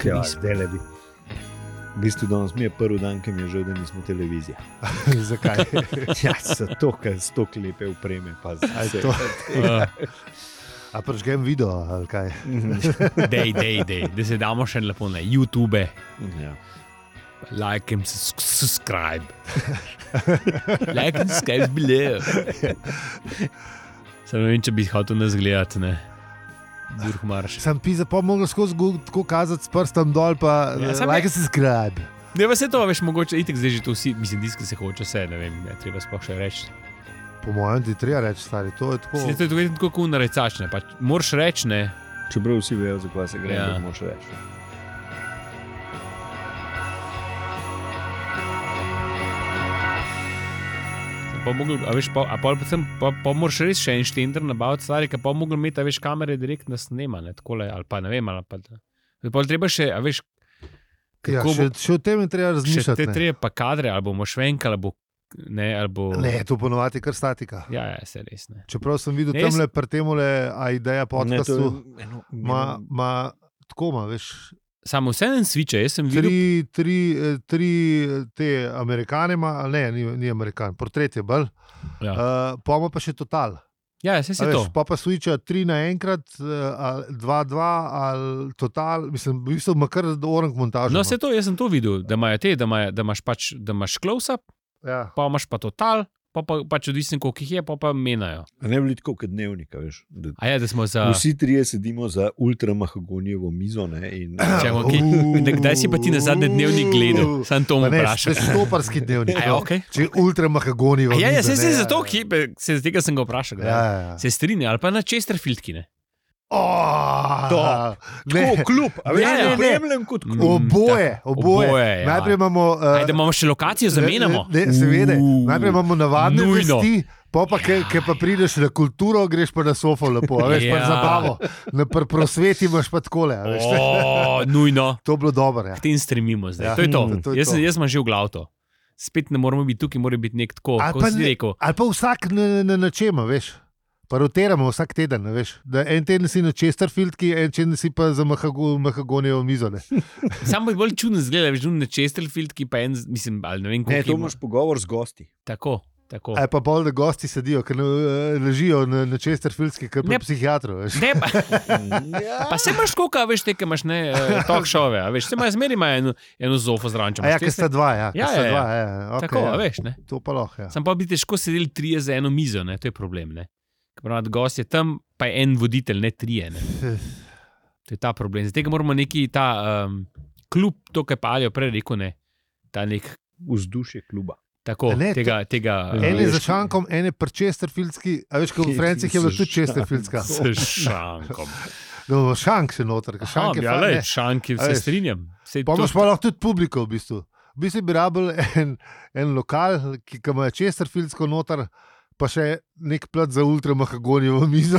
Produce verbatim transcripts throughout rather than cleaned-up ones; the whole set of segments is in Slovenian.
Ja, zdaj le bi. V bistvu danes mi je prvi dan, ki mi je žal, da nismo televizija. Zakaj? Ja, zato, ker so to lepe upreme. Pa to? A prečgem video, ali kaj? Dej, dej, dej, da se damo še lepo na YouTube. Ja. Like and subscribe. Like and subscribe below. Sam ne vem, če bi hotel nas gledati, ne. Burh marš. Sam pisa, pa mogel skozi tako kazati s prstom dol, pa Ja, ja, sam like je- and subscribe. Ne, pa se to, veš, mogoče itek zdaj že to vsi, mislim, diski se hoče vse, ne vem, ja, treba sploh še reči. Po mojem ti treba reči, stari, to je tako. Se to je tako, tako kot narecač, ne, pač moraš reči, ne. Čeprav vsi vejo, za kaj se gre, Ja. ja. moš reči. Pa mogel, a veš, pa, a pol predvsem, pa, pa moraš res še en štender nabaviti stvari, ker pa mogel imeti, a veš, kamere direktno snema, ne, takole, ali pa ne vem, ali pa da. Pa treba še, a veš, Ja, kako še, bo, še o tem je treba še razmišljati. te ne. treba pa kadre, ali bomo švenka, ali bo, ne, ali bo, Ne, to ponovadi kar statika. ja, ja, se res, ne. Čeprav sem videl Ne, jaz- tamle pri temule, a ideja podcastu, je eno, ma, ma, tako ima, veš, Samo vse en sviče, jaz sem videl, tri, tri, eh, tri eh, te Amerikane ima, ali ne, ni, ni Amerikan, portret je bolj, ja, uh, pa ima pa še total. ja, vse A se to. veš, pa pa switcha tri naenkrat, uh, ali dva, dva, ali total, mislim, v bistvu ima kar orang montažo. No, vse to, jaz sem to videl, da imajo te, da, imajo, da imaš pač, da imaš close-up, Ja. pa imaš pa total, pa, pa pač odvisno, koliko jih je, pa pa menajo. A ne bi tako kot dnevnika, veš. Da, A ja, da smo za... vsi trije sedimo za ultramahagonijevo mizo, ne, in Če imamo kaj, da kdaj si pa ti na zadnji dnevnik gledal? Sam to Pa me ne, vprašam. to je štoparski dnevnik. A ja, okej. Če ultramahagoni. A ja, ja, se, se zato, ki, se z tega sem ga vprašal. Ja, Ja. ja, ja. Se strinja, ali pa na Chesterfieldki, ne? Oh, Top. ne, Tako, klub, a veš, Ja, ne, ja, ne, ne. ne, kot klub. Mm, Oboje, tako, oboje. oboje, ja. Najprej imamo. Uh, Ajde, imamo še lokacijo, zamenjamo. Ne, ne, seveda. Uh, Najprej imamo navadne nujno. vesti, pa pa, ki pa prideš na kulturo, greš pa na sofo lepo, a veš, pa Ja. na zabavo. Na pr prosveti imaš pa takole, a veš. O, nujno. To je bilo dobro, ja. K tem stremimo zdaj. Ja, To je to. to je Jaz, sem- to. jaz sem že v glav to. Spet ne moramo biti tukaj, mora biti nek tako, Ali kot pa si ne- rekel. Ali pa vsak na, na, na čem, a veš. Pa rotiramo vsak teden, a veš. Da en teden si na Chesterfieldki, en teden si pa za mahago, mahagonijevo mizo. Ne. Sam bo bolj čudno zgleda, veš, na Chesterfieldki pa en, mislim, ali ne vem, Ne, koliko to ima. imaš pogovor z gosti. Tako, tako. Ali pa bolj, da gosti sedijo, ker ne- ležijo na, na Chesterfieldski, kot Ne. pri psihiatru. Veš. Ne, pa, pa se imaš koliko, a veš, te, ki imaš ne, uh, talk show, a veš, se imaš zmeri ima eno, eno zofo zraven. A ja, ker sta dva, ja. Ja, ker sta ja, ja. dva, ja. Okay, Tako, ja. a veš, ne. To pa lahko, ja. Sam pa bi težko sedeli trije za eno mizo, ne, to je problem, ne. Pravi, gost je tam, pa je en voditelj, ne trije, ne. To je ta problem. Zdaj moramo neki ta um, klub, to, kar pa Alijo prej rekel, ne, ta nek, Vzdušje kluba. tako, Ne, tega, tega, En je uh, za šankom, en je pri Chesterfieldski, a veš, kot v Franciji je bila tudi Chesterfieldska. s šankom. No, šank še noter, ker šank je ja, fajn, lej, ne. šanki, A se veš. strinjam. Sej Pa to- imaš pa lahko tudi publiko, v bistvu. V bistvu bi rabil en, en lokal, ki ki ima Chesterfieldsko noter, pa še nek plat za ultramahagonijevo mizo,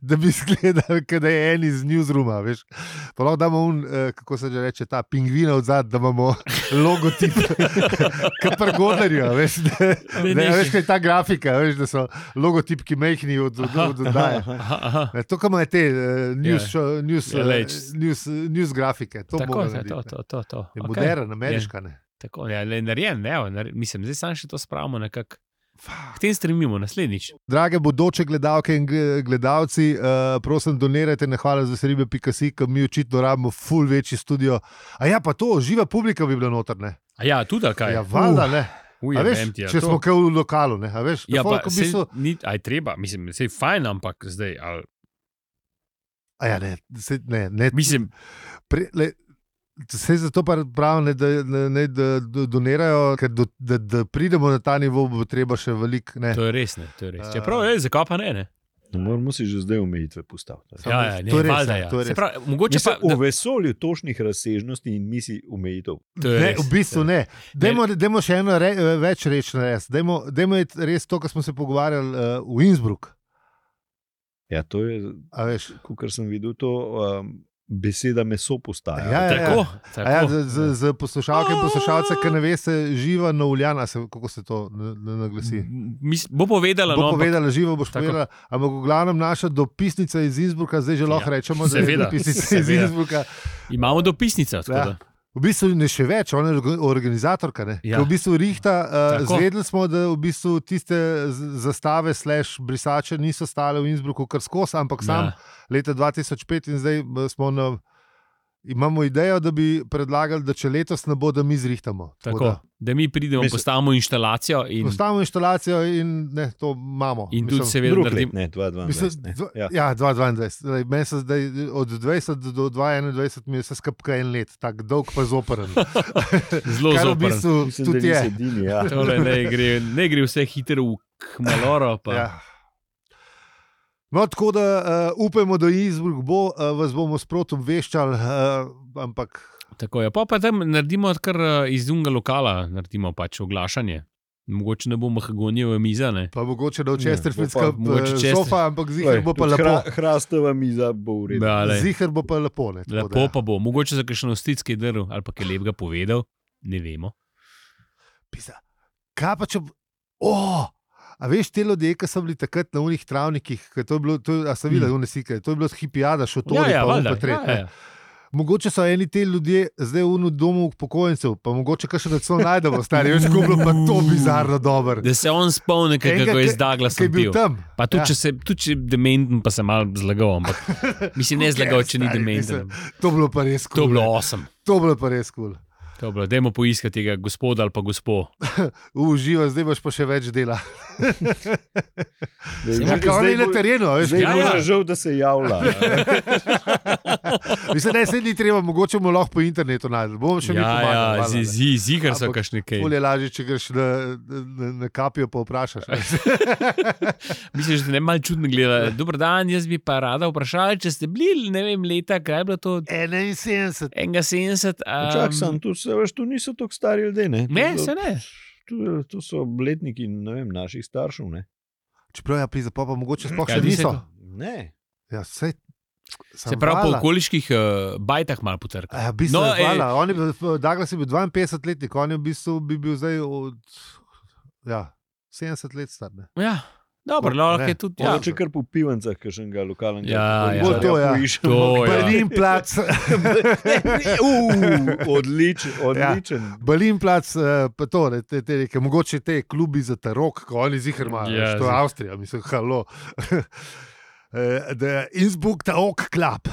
da bi izgledal, kot da je en iz newsrooma, veš. Pa lahko damo un, eh, kako se že reče, ta pingvina od zadaj, da imamo logotip, kot pri Godlerju, a veš. Da, Ne, da, ne. a veš, kaj je ta grafika, a veš, da so logotipki mehni od od- od oddaje. Aha, aha. Ne, to, kar imajo te uh, news, Ja. show, news, Ja, uh, lej, news, news grafike, to Tako, bomo to, narediti, to, ne. to, to, to. Je Okej. modern, ameriška. Ne. Tako, ja, le narejen, ne, evo, nar- mislim, zdaj samo še to spravimo nekako. K tem stremimo naslednjič. Drage bodoče gledalke in gle- gledalci, uh, prosim, donirajte na hvala za seribe pika si, ker mi očitno rabimo ful večji studio. A ja, pa to, živa publika bi bila noter, ne? A ja, tudi ali kaj? Ja, valjda, ne. Uj, A veš, vem ti, ja, če to- smo kaj v lokalu, ne, a veš? da Ja, pa folk v sej, bistvu, ni, aj treba, mislim, sej fajn, ampak zdaj, ali, a ja, ne, se, ne, ne, mislim, pre, le, se zato pa pravim, ne, da, ne, ne, da da donirajo, ker do, da, da pridemo na ta nivo, bo treba še veliko, ne. to je res, ne, to je res. A- Čeprav, ej, zakaj pa ne, ne? No, moramo si že zdaj omejitve postaviti. Ja, ja, ne, to je res, valjda, ja, ja. to je Se res. pravi, mogoče pa, Mislim, v vesolju točnih razsežnosti in misij omejitev. to je Ne, res. v bistvu ne. Dajmo, dajmo še eno re, več reči narediti. Dajmo, dajmo iti res to, kar smo se pogovarjali uh, v Innsbruck. Ja, to je, A veš, kot sem videl, to um, beseda meso postaja. Ja, ja, ja. Tako, A ja, tako. z, z, z poslušalke in poslušalce, ki ne veste, živa na Uljana, se, kako se to na- na- naglasi. Mis, bo povedala, Bo no, ampak- povedala, živo boš Tako. povedala, ampak v glavnem naša dopisnica iz Innsbrucka, zdaj že lahko Ja, rečemo, da je seveda, dopisnica iz seveda. Innsbrucka. imamo dopisnico. tako Ja. da. V bistvu ne še več, ona je orga- organizatorka. Ne? Ja. Ja. V bistvu rihta, uh, Tako. zvedeli smo, da v bistvu tiste z- zastave slash brisače niso stale v Innsbrucku kar skozi, ampak sam Ja. leta dva tisoč pet in zdaj eh, smo na. Imamo idejo, da bi predlagali, da če letos ne bo, da mi zrihtamo. Tako, da mi pridemo, Mislim- postavimo inštalacijo in, Postavimo inštalacijo in ne, to imamo. in tudi Mislim, seveda Drug let, naredimo. ne, dva tisoč Mislim, dvajset. ne. dva, Ja. ja, dva tisoč dvaindvajset. Zdaj, meni se zdaj od dvajset do dva tisoč enaindvajset mi je vse skupaj en let, tako dolg pa zoperen. Zelo Kar v zoprn. bistvu Mislim, da tudi nisi je. edini, ja. Tole ne gre, ne gre vse hitro v kmaloro. Pa. Ja. No, tako da uh, upajmo, da Innsbruck bo, uh, vas bomo sproti obveščali, uh, ampak Tako je. Pa, pa tam naredimo kar eh, iz unga lokala, naredimo pač oglašanje. Mogoče ne bo mahagonijeva miza. Ne? pa mogoče da v Ja, Chesterfieldska bo pa mogoče uh, Chester- sofa, ampak zihar bo pa Tudi lepo. hra- Hrastova miza bo v redu. Ja, lej. Zihar bo pa lepo. Ne, tako Lepo da, pa bo. Mogoče za kakšen osticki drv ali pa kaj lepega povedal. Ne vemo. Pisa, kaj pa če. Oh! A veš, te ljudje, ki so bili takrat na unih travnikih, ke to je bilo, to, a so videli, Hmm. mm. slike, to je bilo hipijada, šotori, ja, ja, pa valjda, un pa tret. ja, ja. Mogoče so eni te ljudje zdaj v domu upokojencev, pa mogoče kaj še da so najdemo, stari, veš, kako je bilo pa to bizarno dobro. Da se on spomni, kaj- Enega, kako je ki- z Douglasom Ki je bil pil. tam. Pa tudi, Ja. če se tudi če je dementen, pa se malo zlagal. Ampak mislim, ne Who zlagal, cares, če ni stari, dementen. mislim, To je bilo pa res kul. To je bilo osem. To je bilo pa res kul. To je bilo. Dajmo poiskati tega gospoda ali pa gospo. Uživa, zdaj boš pa še več dela. Zdaj- Ja, zdaj kao on je na bo- terenu, a veš. Zdaj Ja, bo ja. žal, da se javlja. Mislim, da se ni treba, mogoče mu lahko po internetu najti. Bomo še mi Ja, pomagali. ja, valjda, ne. zi, zigar so Ampak kašne kaj. Bolje lažje, če greš na, na, na kapijo, pa vprašaš. Mislim, da te ne malo čudno gleda. Dober dan, jaz bi pa rada vprašala, če ste bili, ne vem, leta, kaj je bilo to, enainsedemdeset. enega sedemdeset. Čak sem, tu, se, veš, tu niso tako stari ljudje. Ne, Ne, To- se ne. Tu, tu so letniki ne vem, naših staršev. Ne. Čeprav je priza, pa, pa mogoče sploh Kaj še ti se niso. to? Ne. Ja, sej, Se pravi, po okoliških uh, bajtah malo potrka. Ja, v bistvu, No, no, ej. hvala. On je bil, Douglas je bil dvainpetdeset letnik, on je v bistvu bi bil zdaj od ja, sedemdeset let star. Ne. Ja, dobro, Ne, lahko je tudi. Ja. Mogoče kar po pivancah, kakšnega lokalnega. Ja, ja. Bo to, ja. poiščemo. To, ja. Balin plac, Uh, odličen, odličen. Balin plac, eh, pa to, ne, te, te, te, mogoče te klubi za tarok, ko oni zihar imajo, Ja, yeah, to je zih- Avstrija, mislim, halo. Eh, The Innsbruck Tarok Club.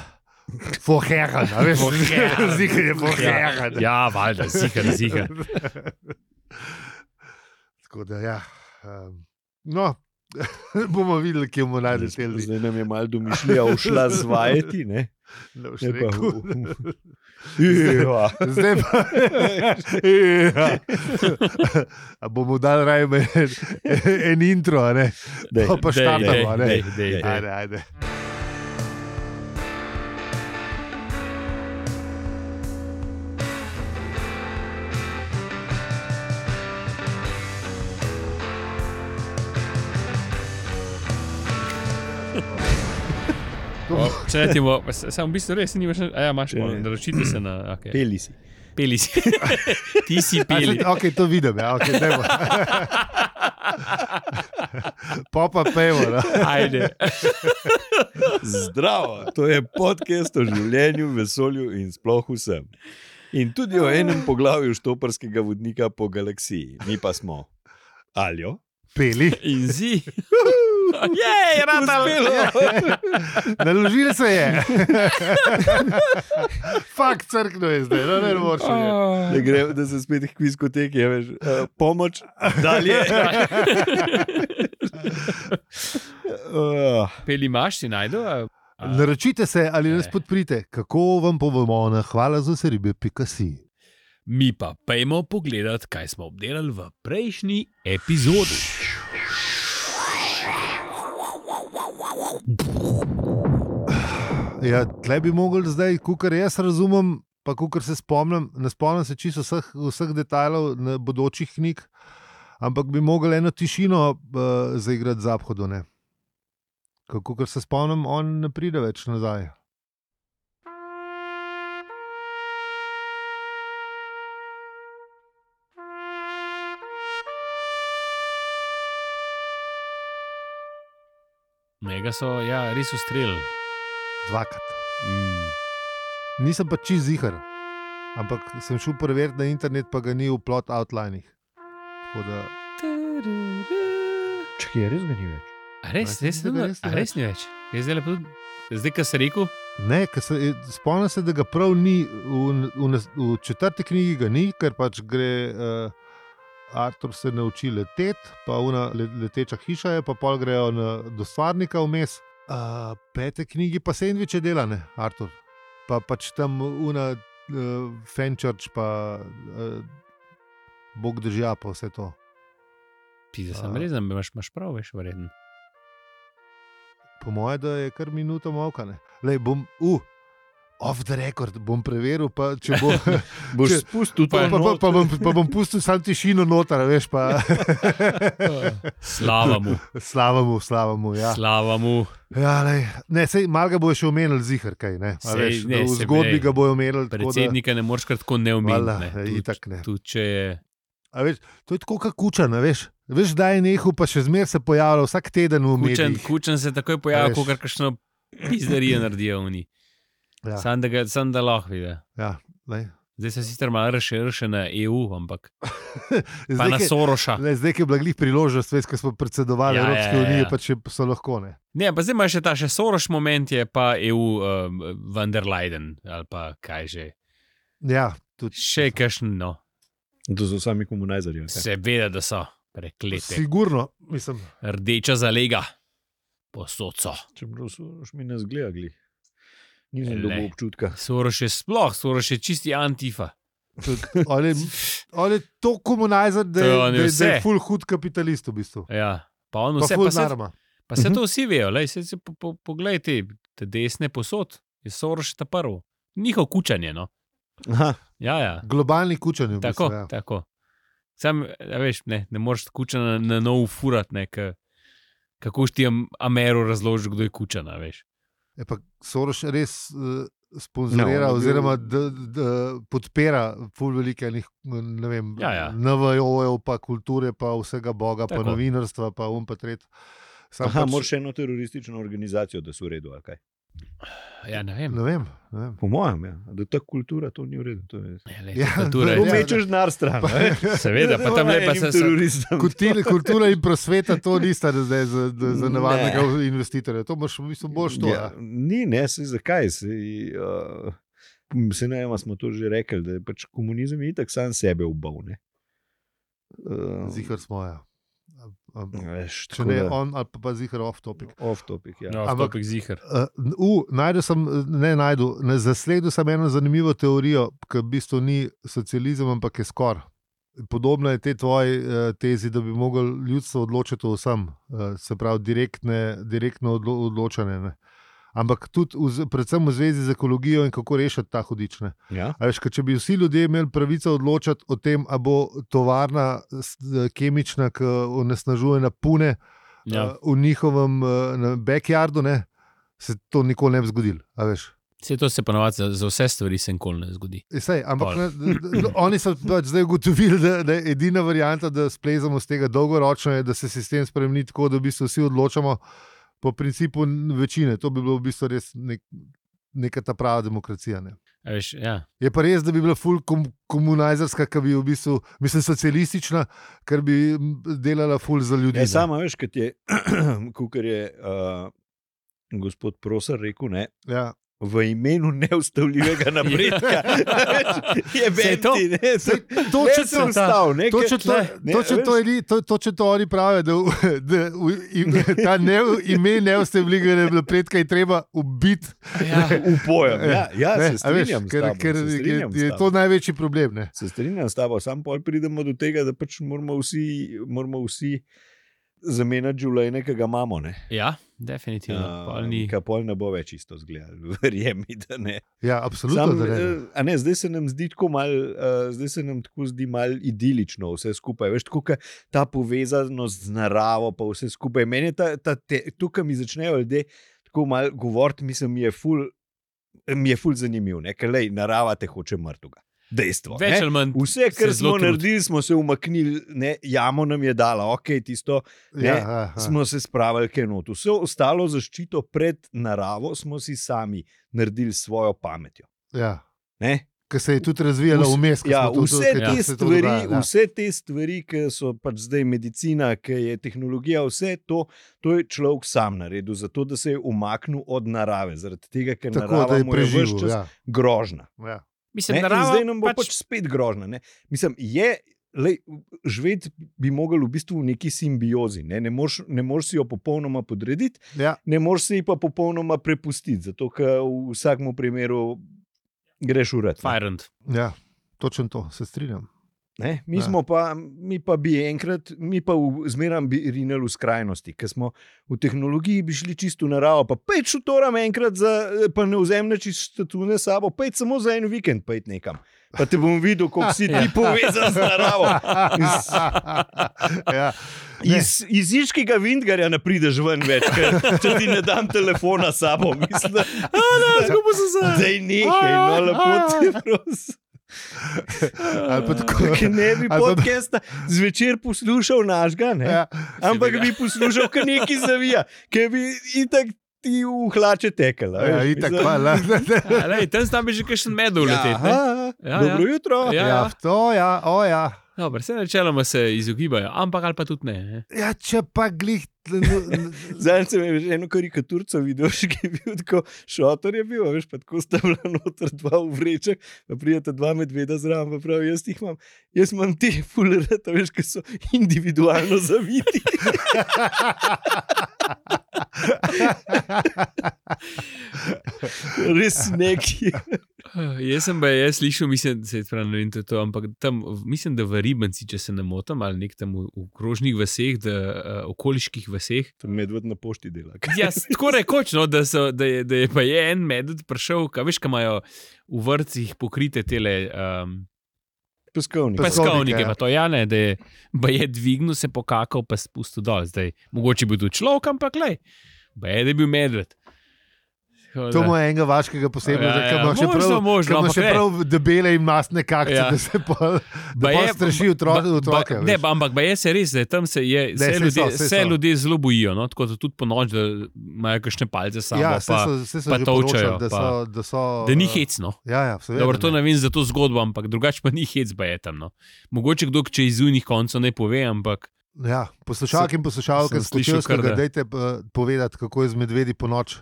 Vorherren, a veš, Vorherren. zihar je vorherren. Ja, valjda, zigar, zigar. Tako da, ja. Um, no, bomo videli, kje bomo najdeli te ljudi. Zdaj nam je malo domišljija ušla zvajati. Ne? Ne boš Ne pa- rekel. Ja. Zdaj pa. Ja. A bomo dali raje en, en intro, a ne? Dej, Pa pa dej, štartamo, a ne? dej, dej, dej. Ajde, ajde. Če ne ti bo, samo v bistvu res nimaš, a ja, imaš, Ne. naročite se na, okay. Peli si. Peli si. Ti si A, peli. se- Ok, to vidim, ja, ok, dajmo. Popa pevo, no. Ajde. Zdravo, to je podcast o življenju, vesolju in sploh vsem. In tudi o enem poglavju štoparskega vodnika po galaksiji. Mi pa smo Aljo. Peli. In zi. Jej, ratal. Naložili se je. Fakt, crkno je zdaj, no ne moreš. Da, gre, da se spet kvizkoteki, ja, veš, uh, pomoč, dalje. uh, Peli imaš, si najdu? a- a- Naročite se ali nas Ne. podprite. Kako vam povemo na hvala za seribe pika si. Mi pa pejmo pogledat, kaj smo obdelali v prejšnji epizodi. Ja, tle bi mogli zdaj, kar jaz razumem, pa kar se spomnim, ne spomnim se čisto vseh, vseh detajlov na bodočih knjig, ampak bi mogli eno tišino uh, zaigrati zaphodu. Kako se spomnim, on ne pride več nazaj. Mega so, ja, res ustrelili. Dvakrat. Mm. Nisem pa čist zihar, ampak sem šel preveriti na internet, pa ga ni v plot outlinih. Tako da, Čakaj, res ga ni več. A res, A, res, mislim, da res, res ni a res ni več. Jaz zdaj lepo, zdaj, kar si rekel, ne, ker se, spomnim se, da ga prav ni, v, v, nas- v četrti knjigi ga ni, ker pač gre, uh, Artur se nauči leteti, pa una le- leteča hiša je, pa pol grejo na, do stvarnika vmes. Uh, pete knjigi pa sendviče dela, ne, Artur. Pa pač tam una uh, Fenchurch, pa uh, Bog držja, pa vse to. pizda sem A. res, da imaš, imaš prav, veš, verjetno. Po mojem, da je kar minuta molka. ne. Lej, bom, uh, off the record, bom preveril, pa če bo. Boš Če- spustil to Pa, pa, pa, pa, bom, pa bom pustil sam tišino noter, veš, pa Slava mu, slava mu, slava mu. Ja. slava mu. Ja, lej. Ne, sej, mal ga bojo še omenili zihar, kaj ne. A Sej, Veš, ne, v sej, zgodbi lej, ga bojo omenili. tako da- Predsednika ne moreš kar tako ne Valjda, omeniti. ja, ne. itak ne. Tudi če je. A Veš, to je tako kot kučan, a veš. Veš, da je nehal, pa še zmer se pojavlja vsak teden v Kučen, medijih. kučen se takoj A pojavi, veš. ko kakšno pizderijo naredijo oni. Ja, Sam da, ga, sam da lahko vidi. ja, lej. Zdaj se sicer malo razširil na E U, ampak pa Zdaj, na ke- Soroša. lej, zdaj, ki je bila glih priložnost, veš, ko smo predsedovali Ja, ja, Evropske ja, ja, unije, ja. pa če so lahko ne. Ne, pa zdaj imaš še ta še Soroš moment, je pa E U um, van der Leyen ali pa kaj že. Ja, tudi. Še kakšen, no. To so sami komunajzerji. okay. Seveda, da so preklete. Sigurno, mislim. Rdeča zalega, posod so. Čeprav so še mi ne zgledali. Nisem Le. dobil občutka. Soroš je sploh, Soroš je čisti antifa. Tudi, on je, on je to komunajzer, da, To je je- on je da, je- da je vse. ful hud kapitalist v bistvu. Ja, pa on Pa vse, ful pa se, narma. pa se to vsi vejo, lej, se, se po, po, poglej te, te desne posod, je Soroš ta prvo. Njihov kučanje, no. Aha, Ja, ja. Globalni kučanj. v Tako, bistvu, ja. tako. Sam, a veš, ne, ne moreš kučana na, na novo furat, ne, ka, kako ti Amero razloži, kdo je kučana, veš. Je pa Soros res uh, sponzorira, No, no, on je bil- oziroma da, da podpira ful velike enih, ne vem, Ja, ja. N V O-jev, pa kulture, pa vsega boga, Tako. pa novinarstva, pa um pa tret. Sam Aha pač- moraš še eno teroristično organizacijo, da so v redu. ali kaj? Ja, ne vem. Ne vem. Ne vem. Po mojem, ja. Da ta kultura to ni v redu. To je... Ja, lej, Ja, kultura to je- Ja, Pomečeš denar stran. ne? Seveda, pa tam lepa se. se teroristom. Kultura, kultura in prosveta, to nista zdaj za, za, za navadnega ne. investitorja. To imaš v bistvu boš to. Ja, Ja. ni, ne, se zakaj. Se, uh, se ne vem, smo to že rekli, da je pač komunizem itak sam sebe ubal. ne. Uh, Zihar smo, ja. A- a- veš, Če tako ne da- on, ali pa, pa zihar off topic. Off topic, ja. No, Ampak- ampak zihar. Uh, uh, najdel sem, ne najdel, ne, zasledil sem eno zanimivo teorijo, ki v bistvu ni socializem, ampak je skoraj. Podobno je te tvoji uh, tezi, da bi mogel ljudstvo odločiti o vsem, uh, se pravi, direktne, direktno odlo odločanje. Ne. Ampak tudi, v, z- predvsem v zvezi z ekologijo in kako rešiti ta hudič. Ne. Ja? A Veš, ker če bi vsi ljudje imeli pravico odločati o tem, ali bo tovarna s- kemična, ki onesnažuje na pune, Ja. uh, v njihovem uh, na backyardu, ne, se to nikoli ne bi zgodilo. a veš. Vse to se ponovadi za, za vse stvari se nikoli ne zgodi. E, Sej, ampak Pol. ne, d- d- oni so pač zdaj ugotovili, da, da je edina varianta, da splezamo z tega dolgoročno, je, da se sistem spremeni tako, da v bistvu vsi odločamo po principu večine. To bi bilo v bistvu res nek, neka ta prava demokracija. Ne. A Veš, ja. Je pa res, da bi bila full kom, komunajzerska, ki bi v bistvu, mislim, socialistična, ker bi m, delala full za ljudi. Ne, ne. sama veš, kot je, kukor je uh, gospod Prosar rekel, ne, Ja. v imenu neustavljivega napredka. je Saj to- benti, ne, Sej, ne točno se to, ustavil. ne, Točno ker- to, ne, točno veš, to, je- to, točno to oni pravijo, da, v- da v, im, ta ne, ime neustavljivega napredka je treba ubiti. Ja. v pojem. Ja, ja Ne, se a veš, strinjam s ker, tabo, ker se je, strinjam s je tabo. to največji problem. Ne? Se strinjam s tabo, sam pol pridemo do tega, da pač moramo vsi, moramo vsi zamenjati življenje, ki ga imamo. Ne? Ja, definitivno. Pol ni. Kaj pol ne bo več isto zgledalo, verjemi, da ne. Ja, absolutno. Sam, da ne. eh, a ne, zdaj se nam zdi tako mal, uh, zdaj se nam tako zdi mal idilično vse skupaj. Veš, tako ka ta povezanost z naravo, pa vse skupaj. Meni je ta, ta te, tukaj mi začnejo ljudje tako mal govoriti, mislim, mi je ful, mi je ful zanimiv, ne, ker lej, narava te hoče mrtvega. dejstvo. Več ne. ali manj Vse, kar se smo zelo trudi. naredili, smo se umaknili, ne, jamo nam je dala, ok, tisto, ne, Ja, ja, ja. smo se spravili kaj not. Vse ostalo zaščito pred naravo smo si sami naredili s svojo pametjo. Ja. Ne. Ki se je tudi razvijala Vse- vmes. ko Ja, smo tudi- vse, ko te se to stvari, dogaja, ja. vse te stvari, ki so pač zdaj medicina, ki je tehnologija, vse to, to je človek sam naredil, zato da se je umaknil od narave, zaradi tega, ker Tako, da narava je mu je ves preživel. čas Ja. grožna. Ja. Mislim, Ne? In narava zdaj nam bo pač, pač pač spet grožna. Ne? Mislim, je, lej, živeti bi mogli v bistvu v neki simbiozi. Ne, ne moreš ne moreš si jo popolnoma podrediti, Ja. ne moreš si ji pa popolnoma prepustiti, zato ker v vsakem primeru greš urat. Fajrant. Ja, točno to, se strinjam. Ne? Mi, Ja. smo pa, mi pa bi enkrat, mi pa v- zmeraj bi rinili v skrajnosti, ker smo v tehnologiji bi šli čisto v naravo. Pa pet šutoram enkrat, za, pa ne vzemne čisto tune sabo, pet samo za en vikend, pet nekam. Pa te bom videl, kako si ti povezan z naravo. Iz, Ja. Ne. iz, iz Iškega Vindgarja ne prideš ven več, ker če ti ne dam telefona s sabo, mislim, da zdaj nekaj, no lepo te prosim. Ali pa tako. Ker ne bi Ali pa- podcasta zvečer poslušal našega, ne? Ja. Ampak Seveda. bi poslušal, kar neki zavija, ker bi itak ti v hlače tekel. a Ja, veš, itak, mislim- hvala. Lej, tam tam bi že kakšen medul Ja, letet. ne? aha, Ja, dobro ja. jutro. Ja. Ja, to ja, o ja. Dobro, vse načeloma se izogibajo, ampak ali pa tudi ne. ne. Ja, če pa glih. Zdaj sem že eno karikaturico videl, še ki je bil tako šotor, je bil, a veš, pa tako sta bila noter dva v vrečah, pa prijeta dva medveda zraven, pa pravi, jaz jih imam, jaz imam te fulerete, veš, ki so individualno zaviti. Res neki. Jaz sem pa jaz slišal, mislim, se pravi, ne vem, to, je to, ampak tam, mislim, da v Ribanci, če se ne motim, ali nek tam v, v krožnih vaseh, da, uh, okoliških vaseh. To medved na pošti dela. Ja, tako rekoč, no, da, so, da, je, da je pa je en medved prišel, kaj veš, kaj imajo v vrtcih pokrite tele um, Peskovnik. Peskovnik, peskovnike, ja. pa to ja ne, da je, ba je dvignil, se pokakal, pa spustil dol. Zdaj, mogoče bi bil tudi človek, ampak lej, ba je, da je bil medved. Tako To da- mu je enega vaškega posebnega, Ja, ja, ki ima še možno, prav, možno, ki ima ampak še ne. prav debele in masne kakce, Ja. da se pa, da Ba pa je- straši otro, ba- otroke. ba- Ne, ba- ampak ba je se res, da je tam se, je, Ne, se, saj ljudje, so, saj se so. ljudje zelo bojijo, no? Tako da tudi po noč, da imajo kakšne palce samo, Ja, pa, vse so, vse so pa že tolčejo, poročali, da pa- so, da so... da ni eh, hecno. Ja, ja, seveda. Dobro, to ne. ne vem za to zgodbo, ampak drugače pa ni hec, ba je tam. No. Mogoče kdo, če iz unih koncev ne pove, ampak Ja, poslušalke in poslušalke sem z slišal kar Kočevskega, da- dajte eh, povedati, kako je z medvedi po noč.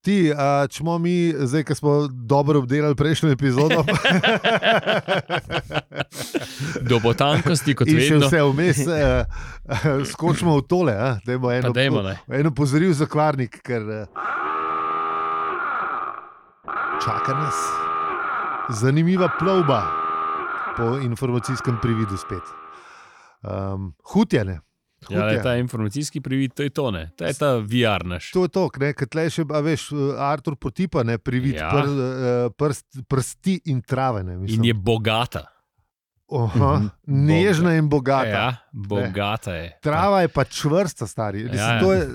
Ti, a, če smo mi, zdaj, ki smo dobro obdelali prejšnjo epizodo, do botankosti, kot in še vedno. vse vmes, eh, eh, skočimo v tole. eh, Dajmo Pa eno, dajmo, ne. eno pozoril za kvarnik, ker eh, čaka nas zanimiva plovba po informacijskem prividu spet. Um, Hutje, ne? Ja, le, Hutje. ta informacijski privid, to je to, ne. To je ta V R naš. To je to, ker tle še, a veš, Artur potipa, ne, privid Ja. pr, eh, prst, prsti in trave. Ne, mislim. In je bogata. Oha, Mhm. nežna in bogata. Ja, bogata je. Trava je pa čvrsta, stari. Mislim, Ja, ja. to je,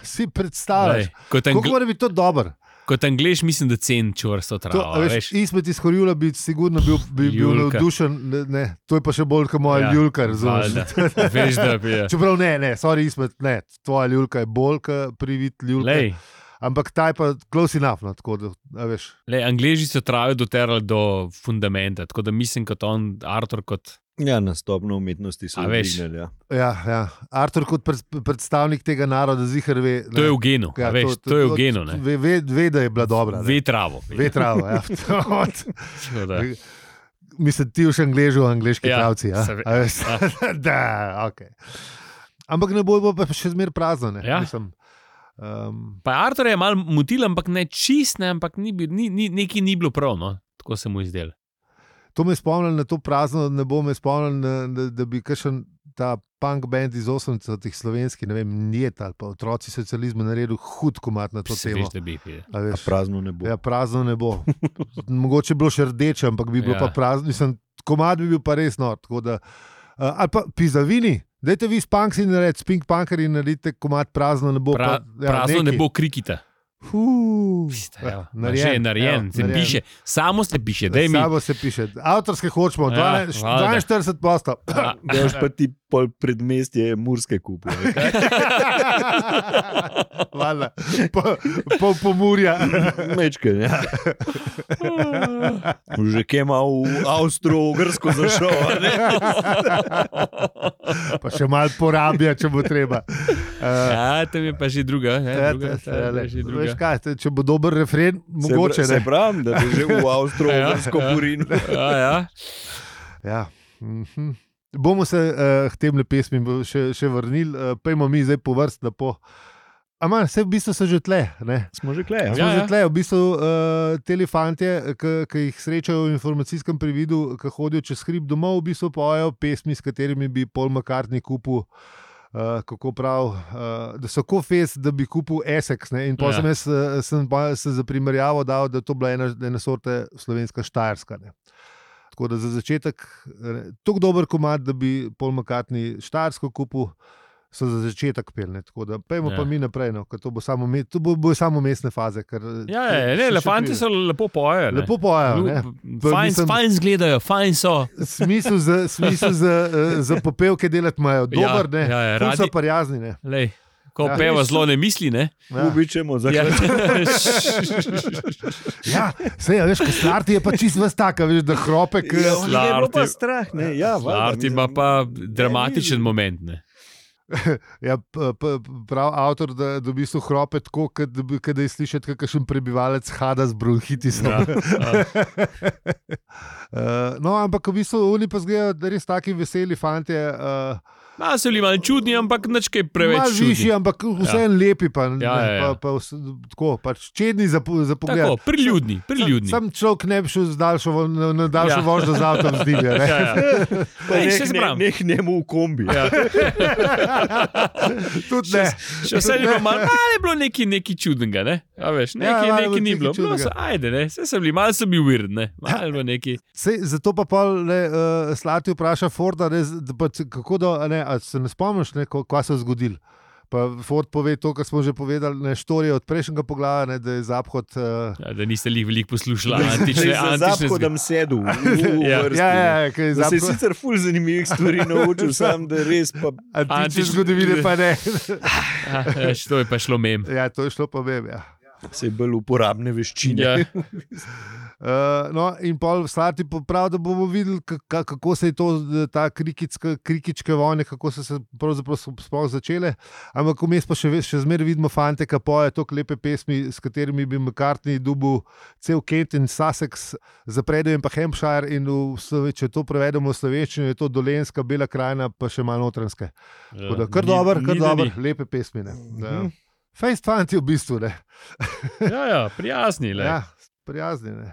si predstavljaš. Lej, kot, Kako angl mora biti to dobro? kot Anglež mislim, da cen čvrsto To, travo. a veš, veš. Izmed iz Horjula bi sigurno bil, bi, bil Ljulka. navdušen. Ne, ne, to je pa še bolj kot moja Ja, ja, ljulka, razumeš? valjda. Veš, da bi je. Čeprav ne, ne, sorry, izmed, ne, tvoja ljulka je bolj kot privid ljulke. Lej, Ampak ta je pa close enough, no, tako da, a veš. lej, Angleži so travo doterali do fundamenta, tako da mislim, kot on, Artur, kot Ja, na stopno umetnosti so A veš. dvignili. Ja. Ja, ja. Artur kot pred, predstavnik tega naroda zihar ve. to je v genu. Ja, Ja, veš, to, to je v genu. Ne. Ve, ve, ve, da je bila dobra. ne. Ve travo. Ve travo, ja. Tako da. Mislim, ti už angležu, angliški Ja, pravci. Ja? se ve- A veš? Da, okay. Ampak ne bo, bo pa še zmer prazno. Ne? Ja. Mislim, um, Pa Artur je malo mutil, ampak ne čist, ne, ampak ni, bil- ni, ni, nekaj ni bilo prav, no. Tako se mu izdel. to me spomni na to prazno, ne bo me spomnil, na- da, da bi kakšen ta punk band iz osemdesetih slovenski, ne vem, Njet ali pa otroci socializma naredil hud komat na to Se temo. veš, da bi. je. A A veš? prazno ne bo. Ja, prazno ne bo. Mogoče bi bilo še rdeče, ampak bi bilo Ja. ja. pa prazno. Mislim, komad bi bil pa res nor. tako Da, uh, ali pa pizavini, dajte vi s punksi narediti, spink punkeri naredite komad prazno ne bo. Pra, pa, ja, prazno ne nekaj. bo krikita. Uh, Ja, že je narejen, se narejen. piše, samo se piše. Mi... Samo se piše. Avtorske hočemo, Ja, dvainštirideset posto. Da boš pa ti pol predmestje Murske kupu. Hvala. Po, po, po Murja. Mečke, ja. Že kje ima v Avstro-Ogrsko zašel. Ne? Pa še malo porabja, če bo treba. Uh, Ja, tam je pa že druga. Ja, ja, druga, te- ta je že veš druga. kaj, te- če bo dober refren, mogoče se, ne. se pravim, da bi že v Avstro-Ogrsko Ja, ja. purin. Ja, ja. Ja. Mhm. Bomo se uh, k tem pesmim še, še vrnili, uh, pejmo mi zdaj po vrst lepo. Ampak vse v bistvu so že tle. Ne? Smo že kle. Smo Ja, že ja. tle, v bistvu uh, te fantje, ki jih srečajo v informacijskem prividu, ki hodijo čez hrib domov, v bistvu pojejo pesmi, s katerimi bi Paul McCartney kupil. Uh, kako prav, uh, da so tako fest, da bi kupil Essex. Ne? In potem Ja. jaz uh, sem pa se za primerjavo dal, da je to bila ena, ena sorte slovenska Štajerska. Ne? Tako da za začetek, tako dober komad, da bi Paul McCartney Štajersko kupil, so za začetek pelne. Tako da pejmo Ja. pa mi naprej, no, ker to bo samo, me- to bo, bo samo mestne faze. Ker, Ja, ja, ne, elefanti so lepo pojejo. ne. lepo pojejo. Ne? Pa Fajn, mislim- fajn zgledajo, fajn so. Smisel za, smisel za, eh, za popevke delati imajo. Dober, ne. ja, ja, Ful so radi- prijazni, ne. Lej, ko Ja. peva zelo ne misli, ne? Ja. Ubičemo za Ja. Ja, sej, a veš, ko Slarti je pa čist vas taka, veš, da hrope, k... Ja, on je bilo pa Slarti- strah. Ne? Ja, valjda, Larti mislim, ima pa ne, dramatičen ni- moment. Ne? Ja, p- p- prav avtor, da, da v bistvu hrope tako, kot da, bi- kot da je slišati, kakšen prebivalec hada z bronhitisom. Ja, ja. Uh, no, ampak v bistvu oni pa zgledajo, da res taki veseli fantje. Uh, Malo so bili malo čudni, ampak nič kaj preveč Malo višji, čudni. ampak vseeno ja. lepi. Pa, Ja, ja, ja. pa, pa, vse- tako, pač čedni za, po- za pogled. Tako, priljudni, priljudni. Sam človek ne bi šel z daljšo, vo- na, na daljšo Ja. vožnjo z avtom z divja. Ja, ja. Pa Ej, nek, še se ne, pravim. nek njemu v kombi. Ja. Tudi ne. Še vse je bilo malo, malo je bilo nekaj, nekaj čudnega, ne? A veš, Ja, nekaj, malo nekaj ni nekaj bilo. bilo čudnega. so, ajde, ne, vse so bili, malo so bili weird, ne? Malo je bilo nekaj. Sej, zato pa pol ne, uh, Slati vpraša Forda, ne, z- da pa, c- kako da, a ne, a se ne spomniš, ne, ko- kaj se je zgodilo. Pa Ford pove to, kar smo že povedali, ne, štorije od prejšnjega poglavja, ne, da je Zaphod. Uh, Ja, da niste jih veliko poslušali, Da antične, je za antične zahodom sedel v, v Ja. vrsti. ja, ne. ja, ja, kaj je Da se je Zaphod. sicer ful zanimivih stvari naučil, sam da res pa Antične Antične- zgodovine pa ne. Ja, ja, to je pa šlo mem. Ja, to je šlo pa vem, ja. se je bolj uporabne veščine. Ja. Uh, no, in pol Slati pravi, da bomo videli, ka- kako se je to, ta krikička, krikičke vojne, kako so se pravzaprav sploh začele. Ampak vmes pa še, ve- še zmeraj vidimo fante, ki pojejo tako lepe pesmi, s katerimi bi McCartney dobil cel Kent in Sussex, zapredajo in pa Hampshire. In v, Slove- če to prevedemo v slovenščino, je to Dolenjska, Bela krajina, pa še malo notranske. Tako da kar Ni- dober, kar ni da dober, ni. lepe pesmi. Ne. Ja. Mhm. Fejst fanti v bistvu, ne. Ja, ja, prijazni. Ja, prijazni. Ne.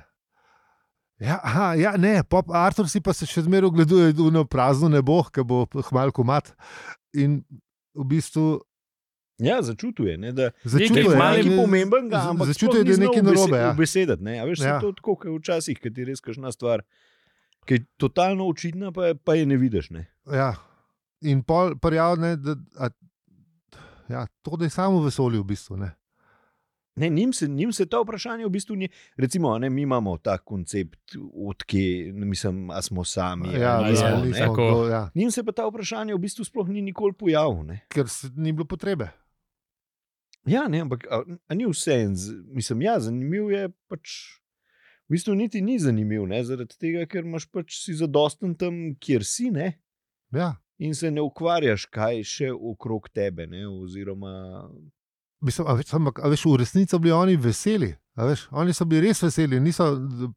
Ja, aha, ja, ne, pop Artur si pa se še zmeraj ogleduje v prazno nebo, ki bo hmal komat. In v bistvu Ja, začutuje, ne, da začutuje, Nekaj je malo nekaj ja, pomembenega, z- ampak začutuje, da je nekaj narobe. Ja. Besedati, ne, a veš, Ja. ja. to je tako, kot včasih, ki ti res kažna stvar, ki je totalno očitna, pa, pa je ne vidiš. Ne. Ja. In pol prijavne, da a, ja, to, da je samo v vesolju v bistvu. Ne. Ne, njim, se, njim se ta vprašanje v bistvu ni. Recimo, ne, mi imamo ta koncept, odkje, mislim, a smo sami. Ja, ali ja, ja, nismo, ne. nismo, tako. kdo, ja, Njim se pa ta vprašanje v bistvu sploh ni nikoli pojavil. Ne. ker se, ni bilo potrebe. Ja, ne, ampak a, a ni vse en, z- mislim, ja, zanimiv je pač. V bistvu niti ni zanimiv, ne, zaradi tega, ker imaš pač si zadosten tam, kjer si, ne, Ja. in se ne ukvarjaš, kaj še okrog tebe. Ne, oziroma, Mislim, a veš, ampak, a veš, v resnici so bili oni veseli. a Veš, oni so bili res veseli, niso